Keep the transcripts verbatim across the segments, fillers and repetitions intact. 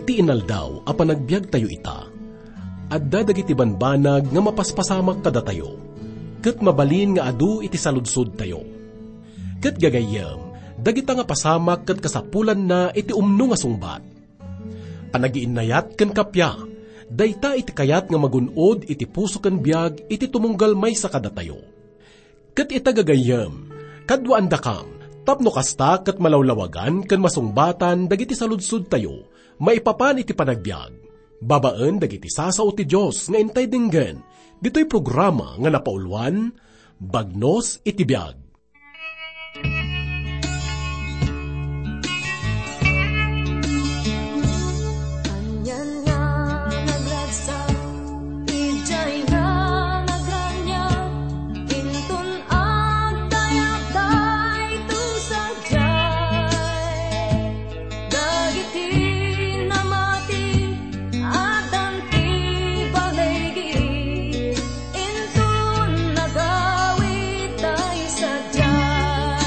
Ti inaldaw a panagbiagtayo ita, adda dagiti banbanag nga mapaspasamak kadatayo, ket mabalin nga adu iti saludsodtayo. Ket gagayyem, dagita nga pasamak ket kasapulanna iti umno nga sungbat. Panagiinnayat ken kappia, dayta iti kayat nga magun-od iti puso ken biag iti tumunggal maysa kadatayo. Ket ita gagayyem, kaduaandakam, tapno kasta ket malawlawagan ken masungbatan dagiti saludsodtayo maipapan iti panagbiag, babaen dagiti sasao ti Dios nga intay denggen, ditoy programa nga napauluan, Bagnos iti Biag. Ania nga nagragsak idiay nga nagraniag, inton agdayag daytoy sadiay. Dagiti namati, addan ti baligi, inton nagawid tay sadiay.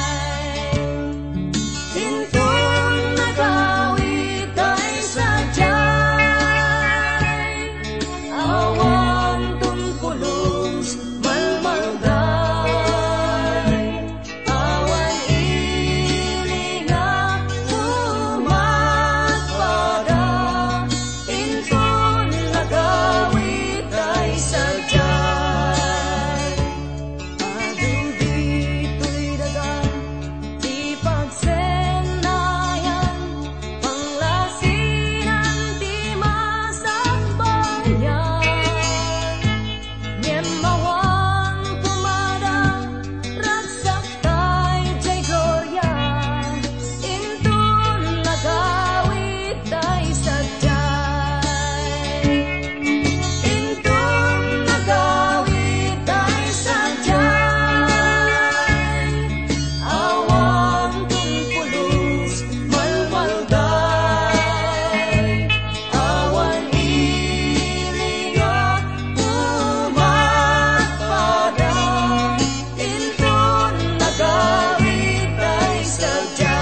Inton nagawid tay sadiay, awan ton pulos, malmalday. Awan ili nga umatpada, inton nagawid tay sadiay. Adu ditoy daga ti pagsennayan, panglasinan ti masakbayan. Ngem awan kumada, ragsak tay diay gloria, inton nagawid tay sadiay. Inton nagawid tay sadiay, awan ton pulos, malmalday. Awan ili nga umatpada, inton nagawid tay sadiay.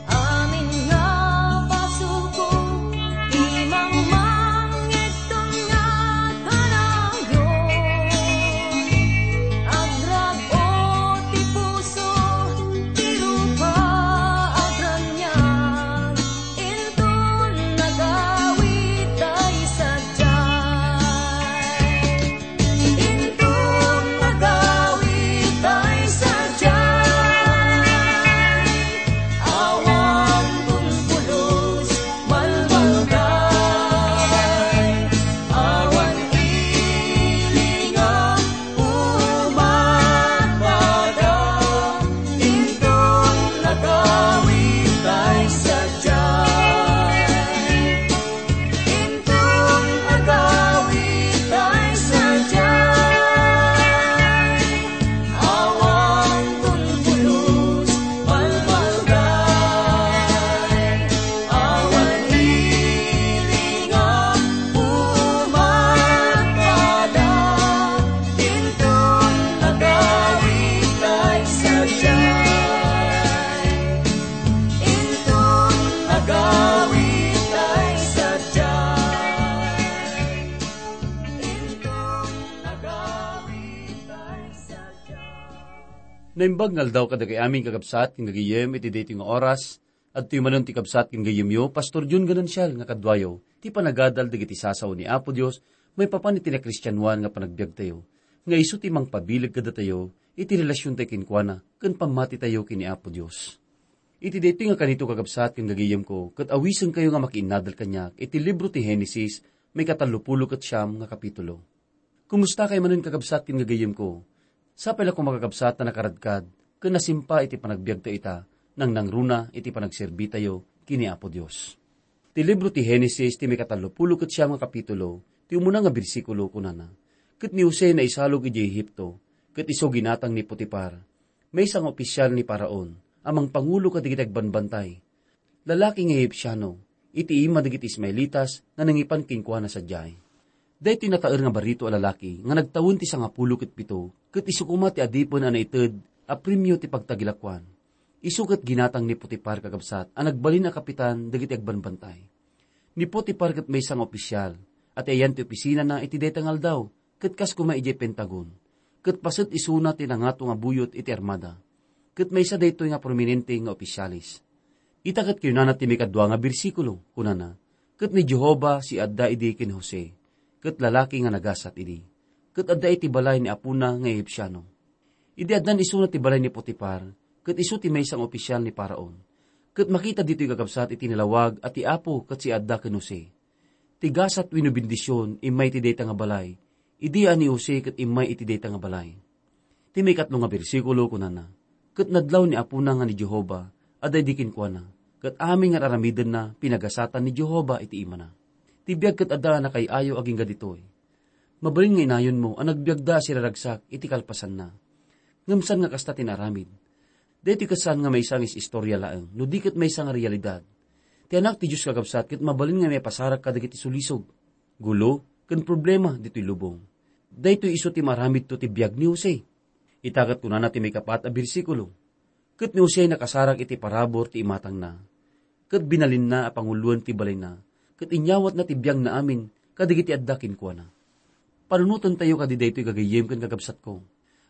Amin nga basoko, imangmang ngegton nga kanayon. Agrag-o ti puso, ti rupa agraniag, inton nagawid tay sadiay. Inton nagawid tay sadiay, awan ton pulos, malmalday. Awan ili nga umatpada, inton nagawid tay sadiay. Inton agawid tay sadiay, awan ton pulos, malmalday. Awan ili nga umatpada, inton agawid tay sadiay. Inton agawid tay sadiay. Inton agawid tay sadiay. Naimbag nga aldaw kadagiti amin, kakabsat ken gagayyem, iti daytoy nga oras. Adtoy manen ti kabsat ken gayyemyo, Pastor Jun Ganancial, nga kaduayo ti panagadal dagiti sasao ni Apo Dios maipapan iti nakristianoan nga panagbiagtayo, nga isu ti mangpabileg kadatayo iti relasiontayo kenkuana ken pammatitayo ken ni Apo Dios. Iti daytoy nga kanito, kakabsat ken gagayyemko, ket awisenkayo nga makiinnadal kaniak iti libro ti Genesis, maikatallopulo ket siam nga kapitulo. Kumustakay manen, kakabsat ken gagayyemko? Sapay la koma, kakabsat, ta nakaradkad ken nasimpa iti panagbiagtayo ita, nangnangruna iti panagserbitayo ken ni Apo Dios. Ti libro ti Genesis, ti mikatallopulo ket siam nga kapitulo, ti umuna nga bersikulo, kunana, "Ket ni Jose naisalog idiay Egipto, ket isu ginatang ni Potifar, maysa nga opisyal ni Faraon, a mangpangulo kadagiti agbambantay. Lalaki nga Egipsiano, iti ima dagiti Ismaelitas nga nangipan kenkuana sadiay." Daytoy nataer nga barito a lalaki nga nagtawen ti sangapulo ket pito, ket isu koma ti adipen a naited a premio ti pagtagilakuan. Isu ket ginatang ni Potifar, kakabsat, a nagbalin a kapitan dagiti agbambantay. Ni Potifar ket maysa nga opisyal, a ti ayan ti opisinana iti dayta nga aldaw, ket kas koma idiay Pentagon, ket paset isuna ti nangato nga buyot iti armada, ket maysa daytoy nga prominente nga opisyales. Ita ket kinunana ti mikadua nga bersikulo, kunana, "Ket ni Jehovah siadda idi ken Jose, ket lalaki nga nagasat idi, ket adda iti balay ni apona nga Egipsiano." Idi addan isuna ti balay ni Potifar, ket isu ti maysa nga opisyal ni Faraon, ket makita ditoy, kakabsat, iti nalawag a ti Apo ket siadda ken Jose. Ti gasat wenno bendision immay iti dayta nga balay, idi a ni Jose ket immay iti dayta nga balay. Ti maikatlo nga bersikulo, kunana, "Ket nadlaw ni apona nga ni Jehovah adda idi kenkuana, ket amin nga ar-aramidenna pinagasatan ni Jehovah iti imana." Ti biag ket adda a nakay-ayo agingga ditoy. Mabalin nga inayonmo a nagbiagda a siraragsak iti kalpasanna. Ngem saan nga kasta ti naaramid. Daytoy ket saan nga maysa nga is-istorya laeng, no di ket maysa nga realidad. Ti Anak ti Dios, kakabsat, ket mabalin nga maipasarak kadagiti sulisog, gulo, ken problema ditoy lubong. Daytoy isu ti maaramidto ti biag ni Jose. Ita ket kunana ti maikapat a bersikulo, "Ket ni Jose nakasarak iti parabur ti imatangna, ket binalinna a panguloen ti balayna, ket inyawatna ti biangna amin kadagiti adda kenkuana." Panunotentayo kadi daytoy, gagayyem ken kakabsatko.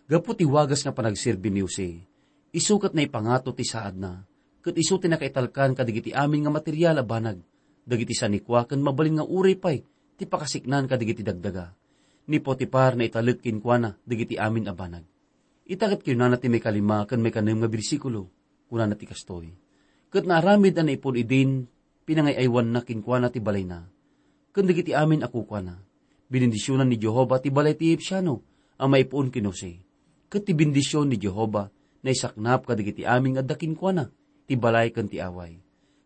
Gapu ti wagas nga panagserbi ni Jose, isu ket naipangato ti saadna, ket isu ti nakaitalkan kadagiti amin nga material a banag, dagiti sanikua ken mabalin nga uray pay ti pakasiknaan kadagiti dagdaga. Ni Potifar naitalek kenkuana dagiti amin a banag. Ita ket kinunana ti maikalima ken maikanem nga bersikulo. Kunana ti kastoy, "Ket naaramid a naipon idin pinangay-aywanna kenkuana ti balayna, ken dagiti amin a kukuana. Binendisionan ni Jehovah ti balay ti Egipsiano a maipuon ken Jose. Ket ti bendision ni Jehovah naisaknap kadagiti amin nga adda kenkuana, ti balay ken ti away.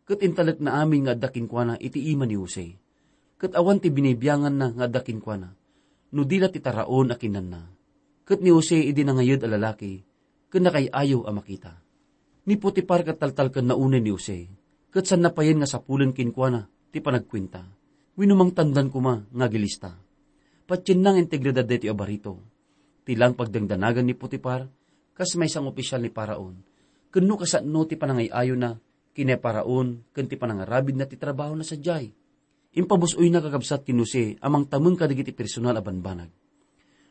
Ket intalekna amin nga adda kenkuana iti ima ni Jose. Ket awan ti binibianganna nga adda kenkuana, no di la ti taraon a kinanna." Ket ni Jose idi nangayed a lalaki, ken nakay-ayo a makita. Ni Potifar ket taltalkenna unay ni Jose, ket saanna payen nga sapulen kenkuana ti panagkuenta, wenno mangtandan koma nga agilista. Patienna nga integridad daytoy a barito. Ti laeng pagdangdanagan ni Potifar, kas maysa nga opisyal ni Faraon, ken no kasano ti panangay-ayona ken ni Faraon ken ti panangarabidna ti trabahona sadiay. Impabus-oyna, kakabsat, ken Jose a mangtameng kadagiti personal a banbanag.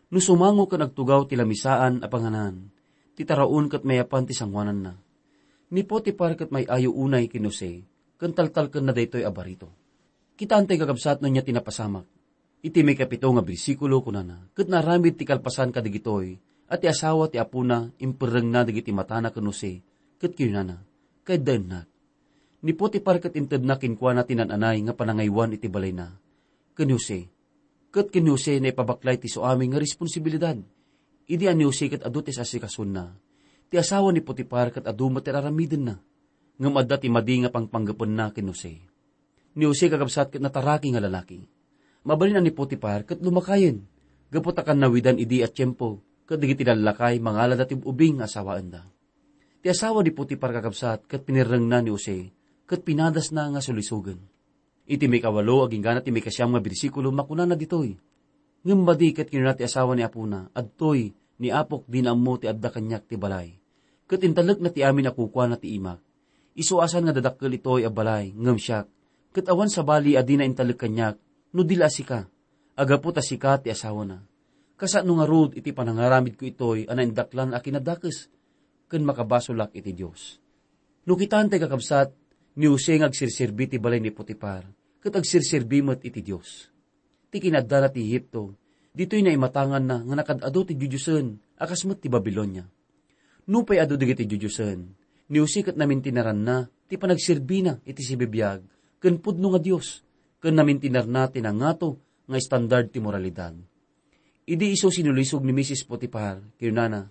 No sumango ken agtugaw ti lamisaan a panganan, ti taraon ket mayapan ti sangoananna. Ni Potifar ket may-ayo unay ken Jose, ken taltalkenna daytoy a barito. Kitaentayo, kakabsat, no ania ti napasamak. Iti maikapito nga bersikulo, kunana, "Ket naaramid ti kalpasan kadagitoy, a ti asawa ti apona imperrengna dagiti matana ken Jose, ket kinunana, 'Kaiddaennak.'" Ni Potifar ket intedna kenkuana ti naan-anay nga panangaywan iti balayna ken Jose. Ket ken Jose naipabaklay ti suami nga responsibilidad. Idi a ni Jose ket adu ti asasikasoenna, ti asawa ni Potifar ket adu met ti ar-aramidenna. Ngem adda ti madi nga pangpanggepenna ken Jose. Ni Jose, kakabsat, ket nataraki nga lalaki. Mabalin a ni Potifar ket lumakayen, gapu ta kannawidan idi a tiempo ket dagiti lallakay mangalada ti ub-ubing nga asawaenda. Ti asawa ni Potifar, kakabsat, ket pinirrengna ni Jose, ket pinadasna nga sulisogen. Iti maikawalo agingga ti maikasiam nga bersikulo, makunana ditoy, "Ngem madi ket kinuna ti asawa ni apona, 'Adtoy, ni apok dina ammo ti adda kaniak ti balay. Ket intalekna ti amin a kukuana ti imak. Isu a saan nga dadakkel itoy a balay, ngem siak, ket awan sabali a dina intalek kaniak, no di la a sika, a gapu ta sika ti asawana. Kasano ngarud iti panangaramidko itoy a naindaklan a kinadakes, ken makabasolak iti Dios?'" No kitaentayo, kakabsat, ni Jose nga agserserbi ti balay ni Potifar, ket agserserbi met iti Dios. Ti kinaaddana ti Egipto, ditoy naimatanganna nga nakad-adu ti didiosen a kas met ti Babilonia. Nupay adu dagiti didiosen, ni Jose ket namintinaranna ti panagserbina iti sibibiag ken pudno nga Dios, ken namintinarna ti nangato nga estandard ti moralidad. Idi isu sinulisog ni Misis Potifar, kinunana,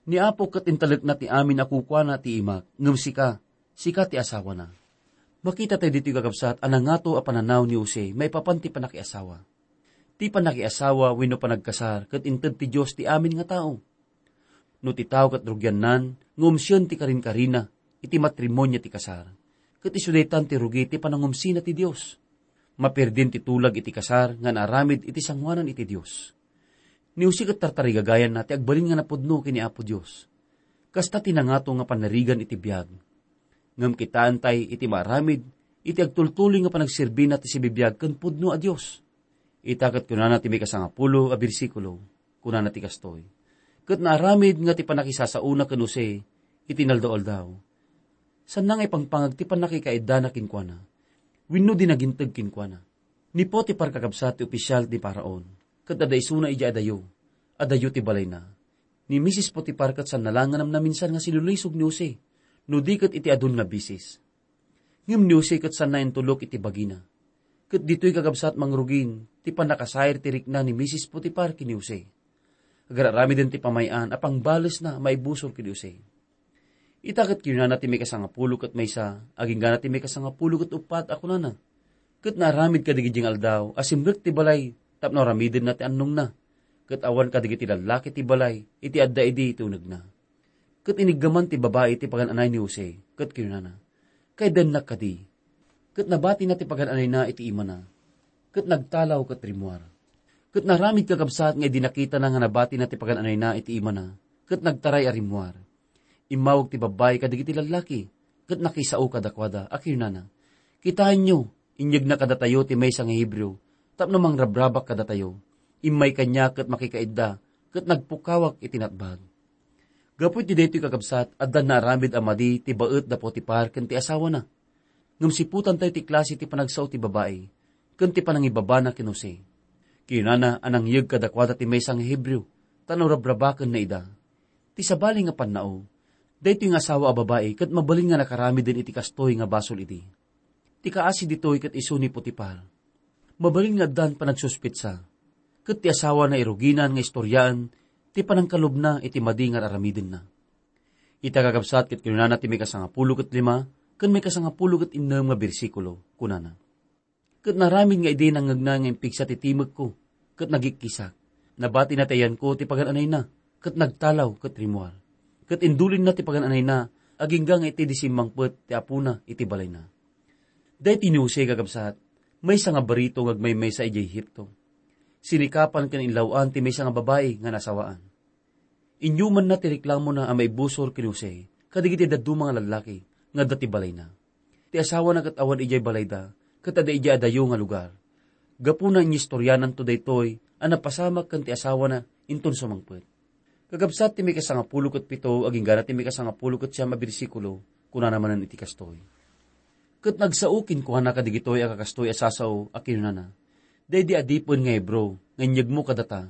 "Ni Apo ket intalekna ti amin a kukuana ti imak, ngem sika, sika ti asawana." Makita tayo ditoy, kakabsat, a nangato a pananaw ni Jose maipapan ti pannakiasawa. Ti pannakiasawa wenno panagkasar ket inted ti Dios ti amin nga tao. No ti tao ket rugiannan nga umsien ti karinkarina iti matrimonio ti kasar, ket isu daytan ti rugi ti panangumsina ti Dios. Mapirdin ti tulag iti kasar nga naaramid iti sangoanan iti Dios. Ni Jose ket tartarigagayanna ti agbalin nga napudno ken ni Apo Dios. Kasta ti nangato nga pannarigan iti biag. Ngem kitaentay iti maaramid iti agtultuloy nga panagserbina ti sibibiag ken pudno a Dios. Ita ket kunana ti maikasangapulo a bersikulo, kunana ti kastoy, "Ket naaramid nga ti pannakisasaona ken Jose iti inaldaw-aldaw, sanna nga ipangpangag ti pannakikaiddana kenkuana, wenno di naginteg kenkuana." Ni Potifar, kakabsat, ti opisial ni Faraon, ket adda isuna idiay adayo, adayo ti balayna. Ni Misis Potifar ket sanna la nga namnaminsan nga sinulisog ni Jose, no di ket iti adun nga bisis. Ngem ni Jose ket sanna intulok iti bagina. Ket ditoy, kakabsat, mangrugin ti pannakasair ti rikna ni Misis Potifar ken ni Jose. Agar-aramiden ti pamay-an a pangbalesna a maibusor ken ni Jose. Ita ket kinunana ti maikasangapulo ket maysa, agingga ti maikasangapulo ket uppat a kunana, "Ket naaramid kadagiti nga aldaw a simrek ti balay tapno aramidenna ti annongna, ket awan kadagiti lallaki ti balay iti adda idi ti unegna." Ket iniggaman ti babai ti pagan-anay ni Jose, ket kinunana, "Kaiddaennak kadi?" Ket nabatina ti pagan-anayna iti imana, ket nagtalaw ket rimmuar. Ket naaramid, kakabsat, nga idi nakitana nga nabatina ti pagan-anayna iti imana, ket nagtaray a rimmuar. Immawag ti babbai kadagiti lallaki, ket nakisao kadakuada a kinunana, "Kitaenyo, inyegna kadatayo ti maysa nga Hebreo tapno mangrabrabak kadatayo. Immay kaniak ket makikaidda, ket nagpukkawak iti natbag." Gapu iti daytoy, kakabsat, adda naaramid a madi ti baet da Potifar ken ti asawana. Ngem siputantayo ti klase ti panagsao ti babai ken ti panangibabana ken Jose. Kinunana a nangyeg kadakuada ti maysa nga Hebreo, ta no rabrabakenna ida. Ti sabali nga pannao, daytoy nga asawa a babai ket mabalin nga nakaramiden iti kastoy nga basol idi. Ti kaasi ditoy ket isu ni Potifar. Mabalin nga addan panagsuspetsa, ket ti asawana iruginan nga istoriaen ti panangkalubna iti madi nga ar-aramidenna. Ita, kakabsat, ket kinunana ti maikasangapulo ket lima ken maikasangapulo ket innem nga bersikulo, kunana, "Ket naaramid nga idi nangngegna nga impigsa ti timekko ket nagikkisak, nabatina ti ayanko ti pagan-anayna, ket nagtalaw ket rimmuar. Ket indulinna ti pagan-anayna agingga nga iti di simmangpet ti apona iti balayna." Daytoy ni Jose, kakabsat, maysa nga barito nga agmaymaysa idiay Egipto. Sinikapan ken inlaw-an ti maysa nga babai nga nasawaan. Inyumanna ti reklamona a maibusor ken Jose kadagiti dadduma nga lallaki nga adda ti balayna. Ti asawana ket awan idiay balayda, ket adda idiay adayo nga lugar. Gapuna, inistoriananto daytoy a napasamak ken ti asawana inton sumangpet. Kakabsat, ti maikasangapulo ket pito, agingga ti maikasangapulo ket siam a bersikulo, kunana manen iti kastoy, "Ket nagsao kenkuana kadagitoy a kakastoy a sasao a kinunana, 'Daydi adipen nga Hebreo nga inyegmo kadata,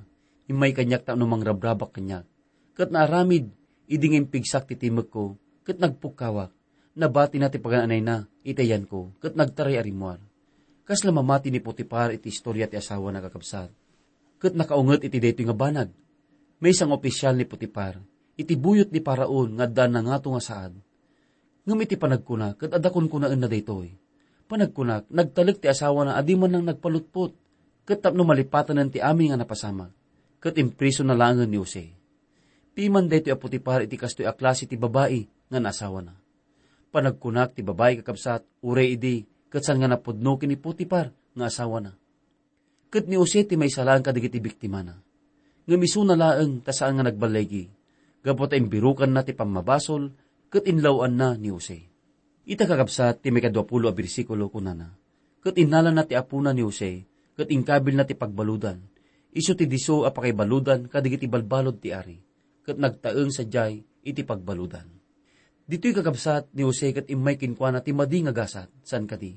immay kaniak tapno mangrabrabak kaniak. Ket naaramid idi nga impigsak ti timekko, ket nagpukkawak, nabatina ti pagan-anayna iti ayanko, ket nagtaray a rimmuar.'" Kasla mamati ni Potifar iti istoria ti asawana, kakabsat. Ket nakaunget iti daytoy nga banag. Maysa nga opisial ni Potifar iti buyot ni Faraon nga adda nangato nga saad. Ngem iti panagkuna ket adda kunkunaenna daytoy. Panagkunak, nagtalek ti asawana a di man nagpalutpot, ket tapno malipatanen ti amin nga napasamak, ket imprisona laengen ni Jose. Piman daytoy a Potifar iti kastoy a klase ti babai nga naasawana. Panagkunak ti babai, kakabsat, uray idi ket saan nga napudno ken ni Potifar nga asawana. Ket ni Jose ti maysa laeng kadagiti biktimana. Ngem isuna laeng ta saan nga nagballigi, gapu ta imbirukanna ti pammabasol ket inlaw-anna ni Jose. Ita, kakabsat, ti maikadua pulo a bersikulo, kunana, "Ket innalana ti apona ni Jose, ket inkabilna ti pagbaludan. Isu ti disso a pakaibaludan kadagiti balbalud ti ari, ket nagtaeng sadiay iti pagbaludan." Ditoy, kakabsat, ni Jose ket immay kenkuana ti madi nga gasat, saan kadi?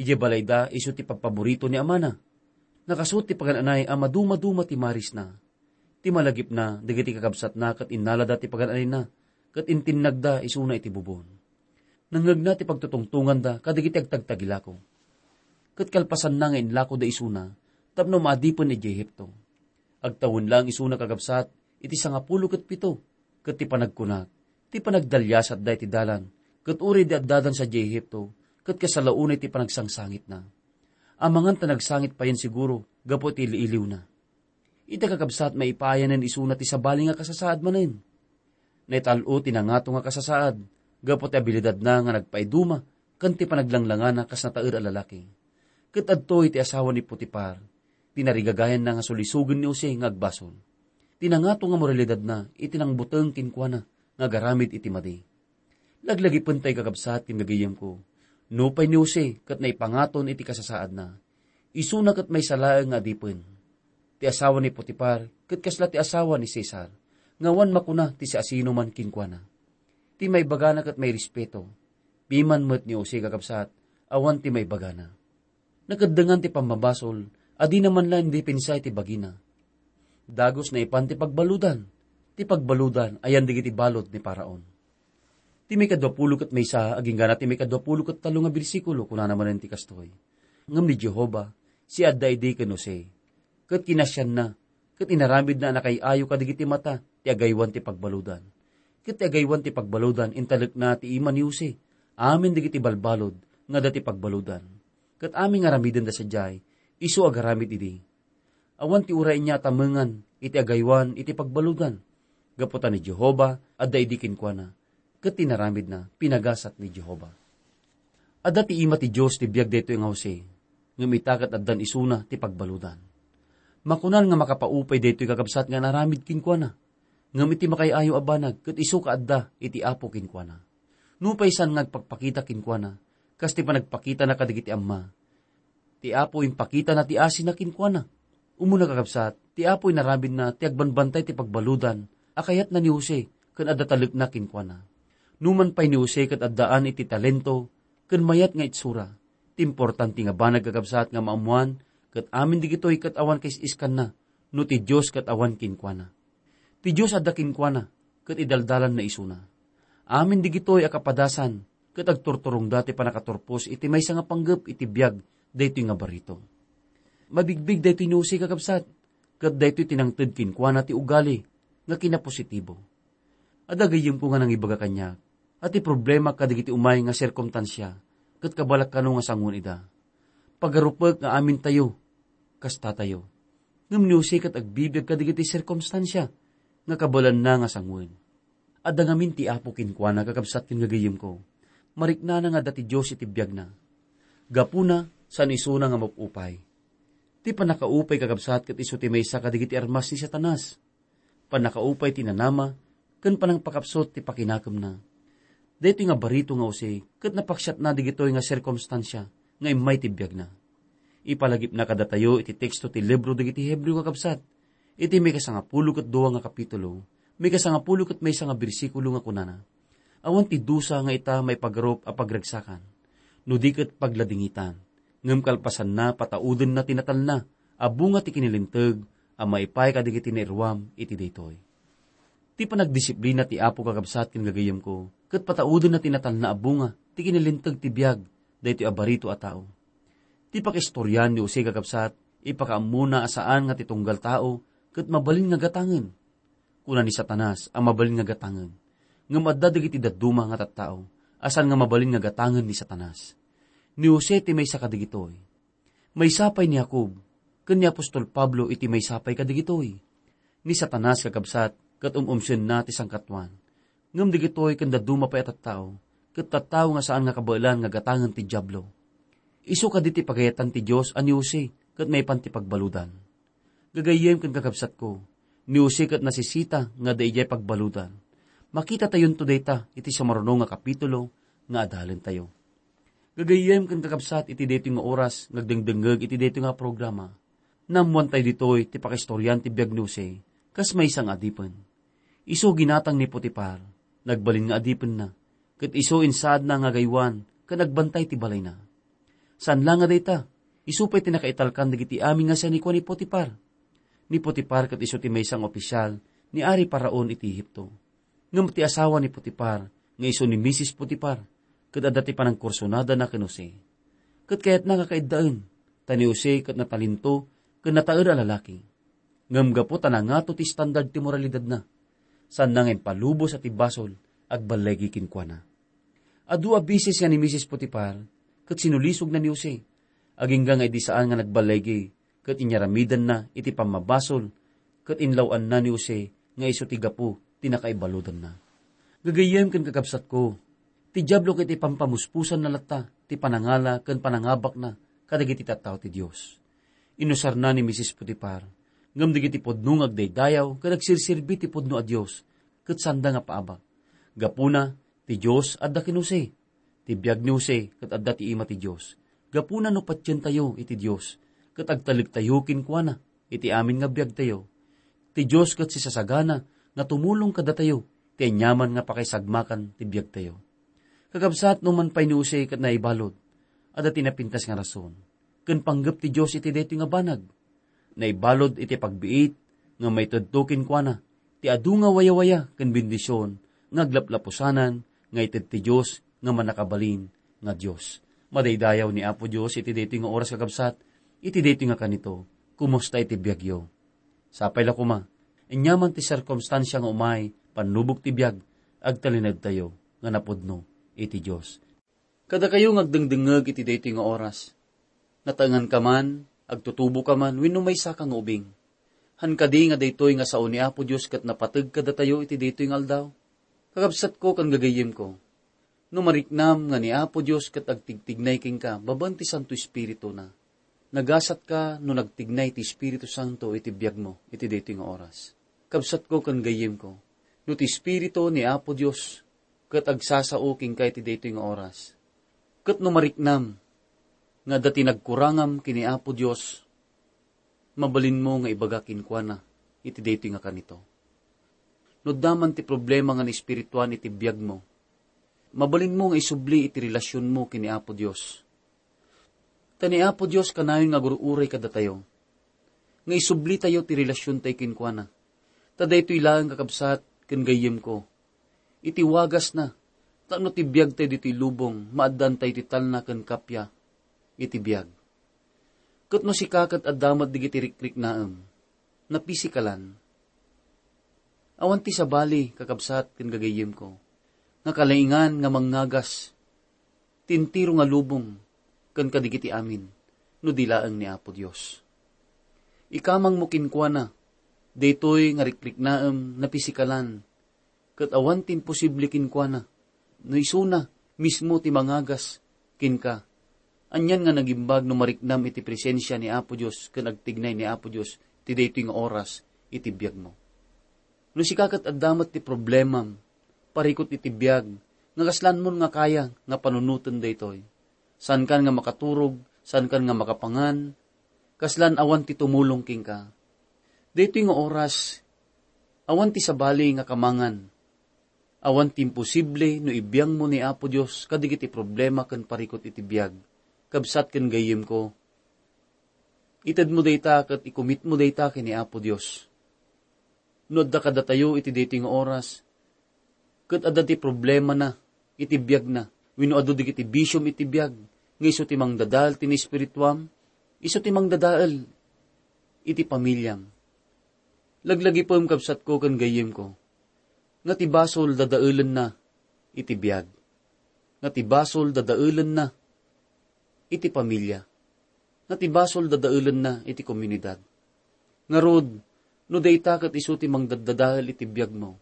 Idiay balayda, isu ti pagpaborito ni amana. Nakasuot ti pagan-anay a maduma-duma ti marisna. Ti malagipna, dagiti kakabsatna ket innalada ti pagan-anayna, ket intinnagda isuna iti bubon. Nangngegna ti pagtutungtonganda kadagiti agtagtagilako. Ket kalpasanna nga inlakoda isuna tapno maadipen idiay Egipto. Agtawen laeng isuna, kakabsat, iti sangapulo ket pito, ket ti panagkunak, ti panagdaliasatda iti dalan, ket uray di addadan sadiay Egipto, ket kasla unay ti panagsangsangitna. Amangan ta nagsangit payen siguro gapu iti ili-iliwna. Ita, kakabsat, maipaayanen isuna ti sabali nga kasasaad manen. Naital-o ti nangato nga kasasaad gapu ti abilidadna nga nagpaiduma ken ti panaglanglangana kas nataer a lalaki. Ket adtoy ti asawa ni Potifar, ti narigagayanna nga sulisogen ni Jose nga agbasol. Ti nangato nga moralidatna iti nangbuteng kenkuana nga agaramid iti madi. Laglagipentayo, kakabsat ken gagayyemko, nupay ni Jose ket naipangaton iti kasasaadna, isuna ket maysa laeng nga adipen. Ti asawa ni Potifar ket kasla ti asawa ni Cesar, nga awan makuna ti siasinoman kenkuana. Ti maibagana ket mairespeto. Piman met ni Jose, kakabsat, awan ti maibagana. Nakeddengan ti pammabasol a dina man la indipensay ti bagina. Dagus naipan ti pagbaludan. Ti pagbaludan ayan dagiti balud ni Faraon. Ti maikadua pulo ket maysa agingga ti maikadua pulo ket tallo nga bersikulo, kunana manen ti kastoy: Ngem ni Jehovah, siadda idi ken Jose, ket kinasianna, ket inaramidna a nakay-ayo kadagiti mata ti agaywan ti pagbaludan. Ket ti agaywan ti pagbaludan, intalekna ti ima ni Jose, amin dagiti balbalud nga adda ti pagbaludan. Ket amin nga aramidenda sadiay, isu agaramid idi. Awan ti uray nia a tamengan iti agaywan iti pagbaludan, gapu ta ni Jehovah adda idi kenkuana, ket ti inaramidna pinagasat ni Jehovah. Adda ti ima ti Dios ti biag daytoy nga Jose, ngem ita ket addan isuna ti pagbaludan. Makunan nga makapaupay daytoy, kakabsat, nga inaramid kenkuana, ngem iti makay-ayo a banag ket isu kaadda iti Apo kenkuana. Nupay saan nga agpakpakita kenkuana, kas ti panagpakitana kadagiti amma, ti Apo impakitana ti asina kenkuana. Umuna, kakabsat, ti Apo inaramidna ti agbanbantay ti pagbaludan a kayatna ni Jose ken adda talekna kenkuana. Numan pay ni Jose ket addaan iti talento ken mayat nga itsura, ti importante nga banag, kakabsat, nga maammoan ket amin dagitoy ket awan kaisiskanna no ti Dios ket awan kenkuana. Ti Dios adda kenkuana, ket idaldalanna isuna. Amin dagitoy a kapadasan ket agturturongda ti pannakaturpos iti maysa nga panggep iti biag daytoy nga barito. Mabigbig daytoy ni Jose, kakabsat, ket daytoy ti nangted kenkuana ti ugali nga kinapositibo. Adda gayyemko nga nangibaga kaniak a ti problema kadagiti umay nga sirkumstansia ket kabalak kano nga sangoen ida. Pagarupek nga amintayo kastatayo. Ngem ni Jose ket agbibiag kadagiti sirkumstansia nga kabaelanna nga sangoen. Adda ngamin ti Apo kenkuana, kakabsat ken gagayyemko. Mariknana nga adda ti Dios iti biagna. Gapuna, saan isuna nga mapupay. Ti pannakaupay, kakabsat, ket isu ti maysa kadagiti armas ni Satanas. Pannakaupay ti nanama, ken panangpakapsut ti pakinakemna. Daytoy nga barito nga Jose ket napaksiatna dagitoy nga sirkumstansia nga immay ti biagna. Ipalagipna kadatayo iti teksto ti libro dagiti Hebreo, kakabsat, iti maikasangapulo ket dua nga kapitulo, maikasangapulo ket maysa nga bersikulo nga kunana: Awan ti dusa nga ita maipagarup a pagragsakan, no di ket pagladingitan, ngem kalpasanna, pataudenna ti natalna a bunga ti kinalinteg a maipaay kadagiti nairuam iti daytoy. Ti panagdisiplina ti Apo, kakabsat ken gagayyemko, ket pataudenna ti natalna a bunga ti kinalinteg ti biag daytoy a barito a tao. Ti pakaistorian ni Jose, kakabsat, ipakaammona a saan nga ti tunggal tao ket mabalin nga gatangen. Kuna ni Satanas a mabalin nga gatangen, ngem adda dagiti dadduma nga tattao a saan nga mabalin nga gatangen ni Satanas. Ni Jose ti maysa kadagitoy. Maysa pay ni Jacob ken ni apostol Pablo iti maysa pay kadagitoy. Ni Satanas, kakabsat, ket um-umsenna ti sangkatuan. Ngem dagitoy ken dadduma pay a tattao, ket tattao nga saan nga kabaelan nga gatangen ti Diablo. Isu kadi ti pagayatan ti Dios a ni Jose ket maipan ti pagbaludan. Gagayyem ken kakabsatko, ni Jose ket nasisita nga adda idiay pagbaludan. Makitatayonto dayta iti sumaruno nga kapitulo nga adalentayo. Gagayyem ken kakabsat, iti daytoy nga oras nga agdengdengngeg iti daytoy nga programa, naammoantayo ditoy ti pakaistorian ti biag ni Jose kas maysa nga adipen. Isu ginatang ni Potifar, nagbalin nga adipenna, ket isu insaadna nga agaywan ken agbantay ti balayna. Saan la nga dayta, isu pay ti nakaitalkan dagiti amin nga sianikuan ni Potifar. Ni Potifar ket isu ti maysa nga opisial ni Ari Faraon iti Ehipto. Ngem ti asawa ni Potifar nga isu ni Misis Potifar, ket adda ti panangkursunadana ken Jose. Ket kayatna nga kaiddaen, ta ni Jose ket natalento ken nataer a lalaki. Ngem gapu ta nangato ti standard ti moralidadna, saanna nga impalubos a ti basol agballigi kenkuana. Adu a bises nga ni Misis Potifar ket sinulisogna ni Jose. Agingga nga idi saan nga nagballigi, ket inyaramidanna iti pammabasol, ket inlaw-anna ni Jose nga isu ti gapu ti nakaibaludanna. Gagayyem ken kakabsatko, ti Diablo ket ipampamuspusanna latta ti panangala ken panangabakna kadagiti tattao ti Dios. Inusarna ni Misis Potifar, ngem dagiti pudno nga agdaydayaw ket agsirserbi ti pudno a Dios, ket sanda nga paabak. Gapuna, ti Dios adda ken Jose. Ti biag ni Jose ket adda ti ima ti Dios. Gapuna no patientayo iti Dios, ket agtalektayo kenkuana iti amin nga biagtayo, ti Dios ket sisasagana nga tumulong kadatayo ti aniaman nga pakaisagmakan ti biagtayo. Kakabsat, no man pay ni Jose ket naibalud, adda ti napintas nga rason ken panggep ti Dios iti daytoy nga banag. Naibalud iti pagbiit nga maitedto kenkuana ti adu nga wayawaya ken bendision nga aglaplapusanan nga ited ti Dios nga Mannakabalin nga Dios. Madaydayaw ni Apo Dios iti daytoy nga oras, kakabsat, iti daytoy nga kanito. Kumusta iti biagyo? Sapay la koma, aniaman ti sirkumstansia nga umay, pannubog ti biag, agtalinaedtayo nga napudno iti Dios. Kadakayo nga agdengdengngeg iti daytoy nga oras, nataenganka man, agtutuboka man, wenno maysaka nga ubing. Han kadi nga daytoy nga sao ni Apo Dios ket napateg kadatayo iti daytoy nga aldaw? Kakabsatko ken gagayyemko, no mariknam nga ni Apo Dios ket agtigtignay kenka babaen ti Santo Espirituna, nagasatka no nagtignay ti Espiritu Santo iti biagmo iti daytoy nga oras. Kabsatko ken gayyemko, no ti Espiritu ni Apo Dios ket agsasao kenka iti daytoy nga oras, ket no mariknam nga adda ti nagkurangam ken ni Apo Dios, mabalinmo nga ibaga kenkuana iti daytoy nga kanito. No adda man ti problema nga naespirituan iti biagmo, mabalinmo nga isubli iti relasionmo ken ni Apo Dios. Ta ni Apo Dios kanayon nga agur-uray kadatayo, nga isublitayo ti relasiontayo kenkuana. Ta daytoy laeng, kakabsat ken gayyemko, iti wagasna, tapno ti biagtayo ditoy lubong, maaddaantayo ti talna ken kappia iti biag. Ket no sika ket adda met dagiti rikriknaem, napisikalan, awan ti sabali, kakabsat ken gagayyemko, nga kalaingan nga mangngagas ti entero nga lubong ken kadagiti amin, no di laeng ni Apo Dios. Ikamangmo kenkuana daytoy nga rikriknaem napisikalan, ket awan ti imposible kenkuana, no isuna mismo ti mangagas kenka. Anian nga nagimbag no mariknam iti presensia ni Apo Dios ken agtignay ni Apo Dios ti daytoy nga oras iti biagmo. No sika ket adda met ti problemam, parikut iti biag, nga kaslanmon nga kaya nga panunoten daytoy. Saankan nga makaturog, saankan nga makapangan, kaslan awan ti tumulong kenka. Daytoy nga oras, awan ti sabali nga kamangan. Awan ti imposible no ibiangmo ni Apo Dios kadagiti problema ken parikut iti biag. Kabsat ken gayyemko, itedmo dayta ket ikumitmo dayta ken ni Apo Dios. No adda kadatayo iti daytoy nga oras, ket adda ti problemana iti biagna, wenno adu dagiti bisiom iti biag nga isu ti mangdadael ti naespirituam, isu ti mangdadael iti pamiliam. Laglagipem, kabsatko ken gayyemko, nga ti basol dadaelenna iti biag, nga ti basol dadaelenna iti pamilia, nga ti basol dadaelenna iti komunidad. Ngarud, no dayta ket isu ti mangdaddadael iti biagmo,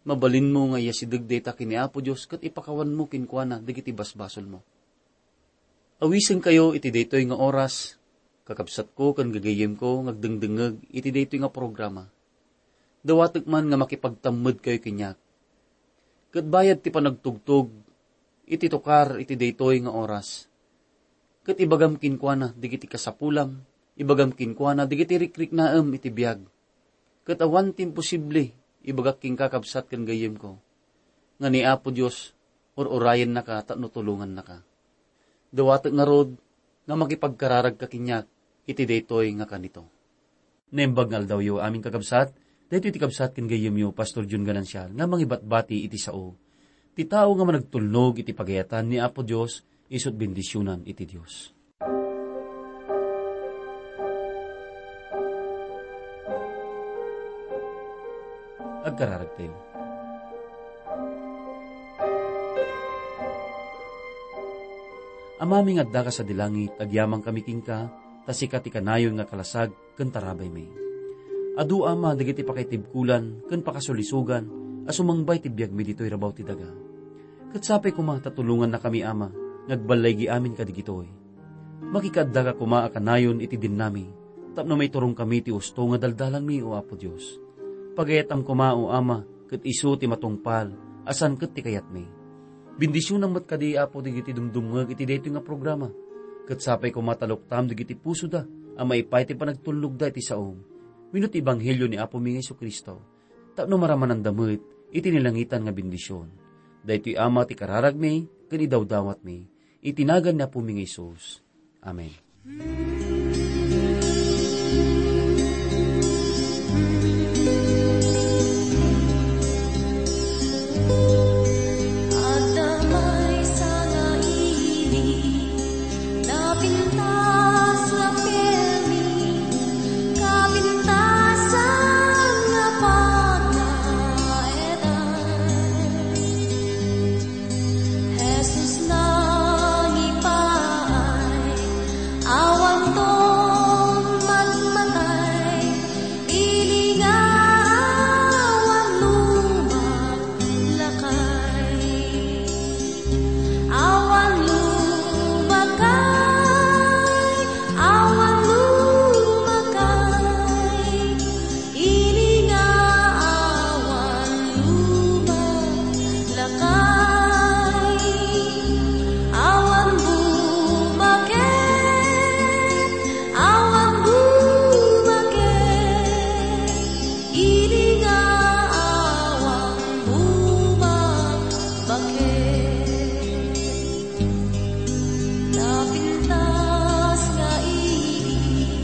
mabalinmo nga iyasideg dayta ken ni Apo Dios ket ipakawanmo kenkuana dagiti basbasolmo. Awisenkayo iti daytoy nga oras, kakabsatko ken gagayyemko nga agdengdengngeg iti daytoy nga programa. Dawatek man nga makipagtammedkayo kaniak. Ket bayad ti panagtugtog iti tukar iti daytoy nga oras, ket ibagam kenkuana dagiti kasapulam, ibagam kenkuana dagiti rikriknaem iti biag. Ket awan ti imposible, ibagak kenka, kabsat ken gayyemko, nga ni Apo Dios ur-urayennaka tapno tulongannaka. Dawatek ngarud nga makipagkararagka kaniak iti daytoy nga kanito. Naimbag nga aldawyo, amin kakabsat, daytoy ti kabsat ken gayyemyo, Pastor Jun Ganancial, nga mangibatbati iti sao. Ti tao nga managtulnog iti pagayatan ni Apo Dios, isut bendisionan iti Dios. Agkararagtayo. Amami nga addaka sadi langit, agyamankami kenka, ta sika ti kanayon nga kalasag ken tarabaymi. Adu, Ama, dagiti pakaitibkolan ken pakasulisogan a sumangbay ti biagmi ditoy rabaw ti daga. Ket sapay koma ta tulongannakami, Ama, nga agballaygi amin kadagitoy. Makikaaddaka koma a kanayon iti dennami, tapno maiturongkami ti usto nga daldalanmi, O Apo Dios. Pagayatam koma, O Ama, ket isu ti matungpal a saan ket ti kayatmi. Bendisionam met kadi, Apo, dagiti dumdumngeg iti daytoy nga programa. Ket sapay koma ta luktam dagiti pusoda a maipay ti panagtulnogda iti saom wenno ti ebanghelio ni Apomi nga Jesu-Cristo, tapno maramananda met iti nalangitan nga bendision. Daytoy, Ama, ti kararagmi ken idawdawatmi iti nagan ni Apomi nga Jesus. Amen. Adda maysa nga ili, napintas nga permi, kapintasan nga pagnaedan. Jesus nangipaay, awanton magmatay, ili nga awan lumakay. Awan lumakay, awan lumakay. Ili nga awan lumakay, awan bumaket, awan bumaket. Ili nga awan bumaket. Napintas nga ili,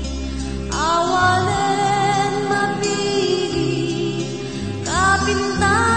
awanen mapili, kapintas